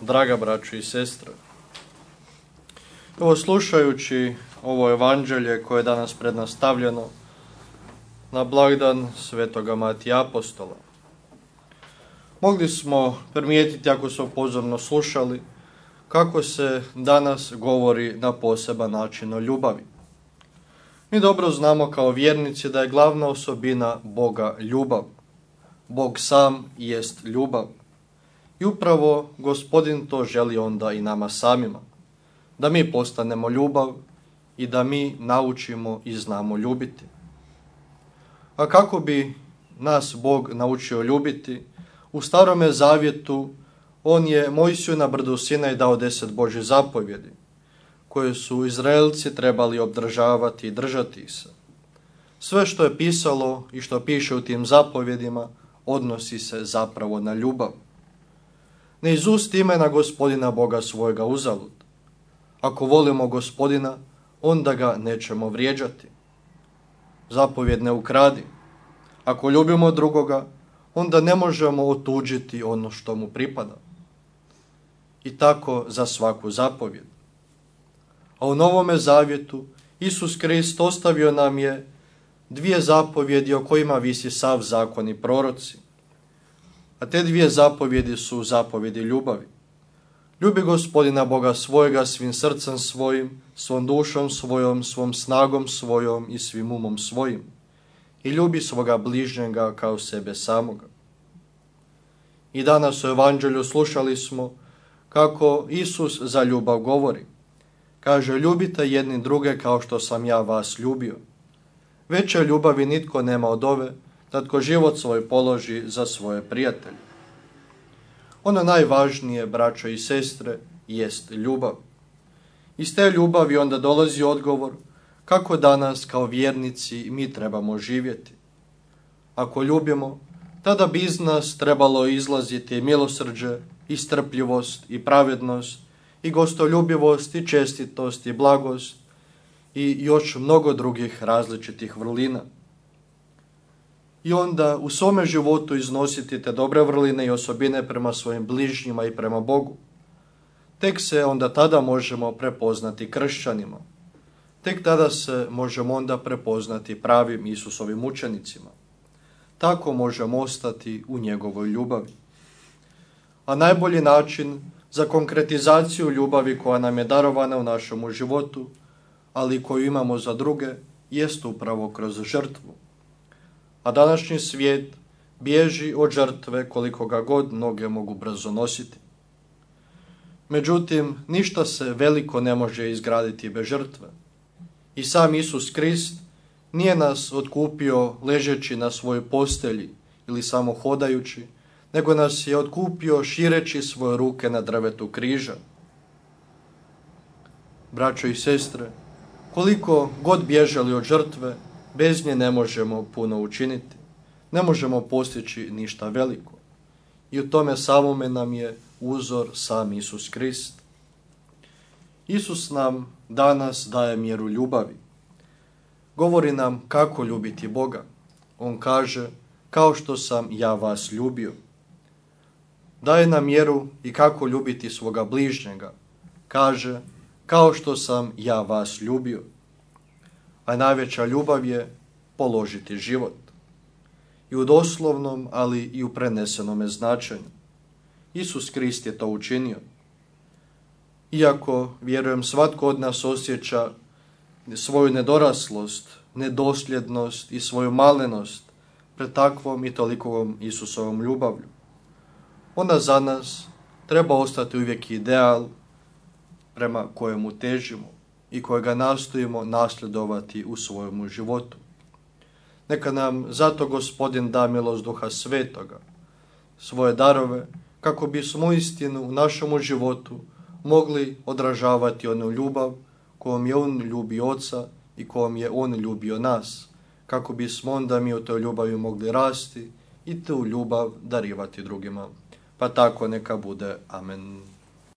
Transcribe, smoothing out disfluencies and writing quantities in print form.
Draga braćo i sestre, evo slušajući ovo evanđelje koje je danas pred nas stavljeno na blagdan Svetoga Matija Apostola, mogli smo primijetiti, ako smo pozorno slušali, kako se danas govori na poseban način o ljubavi. Mi dobro znamo kao vjernici da je glavna osobina Boga ljubav. Bog sam jest ljubav. I upravo Gospodin to želi onda i nama samima. Da mi postanemo ljubav i da mi naučimo i znamo ljubiti. A kako bi nas Bog naučio ljubiti? U Starome Zavjetu on je Mojsiju na brdu Sinaj dao 10 Božjih zapovjedi, koje su Izraelci trebali obdržavati i držati se. Sve što je pisalo i što piše u tim zapovjedima odnosi se zapravo na ljubav. Ne izusti imena Gospodina Boga svojega uzalud. Ako volimo Gospodina, onda ga nećemo vrijeđati. Zapovjed ne ukradi. Ako ljubimo drugoga, onda ne možemo otuđiti ono što mu pripada. I tako za svaku zapovjed. A u Novome Zavjetu Isus Krist ostavio nam je 2 zapovjedi o kojima visi sav zakon i proroci. A te 2 zapovjedi su zapovjedi ljubavi. Ljubi Gospodina Boga svojega svim srcem svojim, svom dušom svojom, svom snagom svojom i svim umom svojim. I ljubi svoga bližnjega kao sebe samoga. I danas u evanđelju slušali smo kako Isus za ljubav govori. Kaže, ljubite jedni druge kao što sam ja vas ljubio. Veće ljubavi nitko nema od ove, da tko život svoj položi za svoje prijatelje. Ono najvažnije, braćo i sestre, jest ljubav. Iz te ljubavi onda dolazi odgovor kako danas kao vjernici mi trebamo živjeti. Ako ljubimo, tada bi iz nas trebalo izlaziti milosrđe, i strpljivost, i pravednost, i gostoljubivost, i čestitost, i blagost, i još mnogo drugih različitih vrlina. I onda u svome životu iznositi te dobre vrline i osobine prema svojim bližnjima i prema Bogu. Tek se onda tada možemo prepoznati kršćanima. Tek tada se možemo onda prepoznati pravim Isusovim učenicima. Tako možemo ostati u njegovoj ljubavi. A najbolji način za konkretizaciju ljubavi koja nam je darovana u našemu životu, ali koju imamo za druge, jest upravo kroz žrtvu. A današnji svijet bježi od žrtve koliko ga god noge mogu brzo nositi. Međutim, ništa se veliko ne može izgraditi bez žrtve. I sam Isus Krist nije nas otkupio ležeći na svojoj postelji ili samo hodajući, nego nas je otkupio šireći svoje ruke na drvetu križa. Braćo i sestre, koliko god bježali od žrtve, bez nje ne možemo puno učiniti. Ne možemo postići ništa veliko. I u tome samome nam je uzor sam Isus Krist. Isus nam danas daje mjeru ljubavi. Govori nam kako ljubiti Boga. On kaže, kao što sam ja vas ljubio. Daje nam mjeru i kako ljubiti svoga bližnjega. Kaže, kao što sam ja vas ljubio. A najveća ljubav je položiti život. I u doslovnom, ali i u prenesenome značenju. Isus Krist je to učinio. Iako, vjerujem, svatko od nas osjeća svoju nedoraslost, nedosljednost i svoju malenost pred takvom i tolikom Isusovom ljubavlju. Ona za nas treba ostati uvijek ideal prema kojemu težimo i kojega nastojimo nasljedovati u svojemu životu. Neka nam zato Gospodin da milost Duha Svetoga, svoje darove, kako bismo istinu u našemu životu mogli odražavati onu ljubav kojom je On ljubio Oca i kojom je On ljubio nas, kako bismo onda mi u toj ljubavi mogli rasti i tu ljubav darivati drugima. Pa tako neka bude. Amen.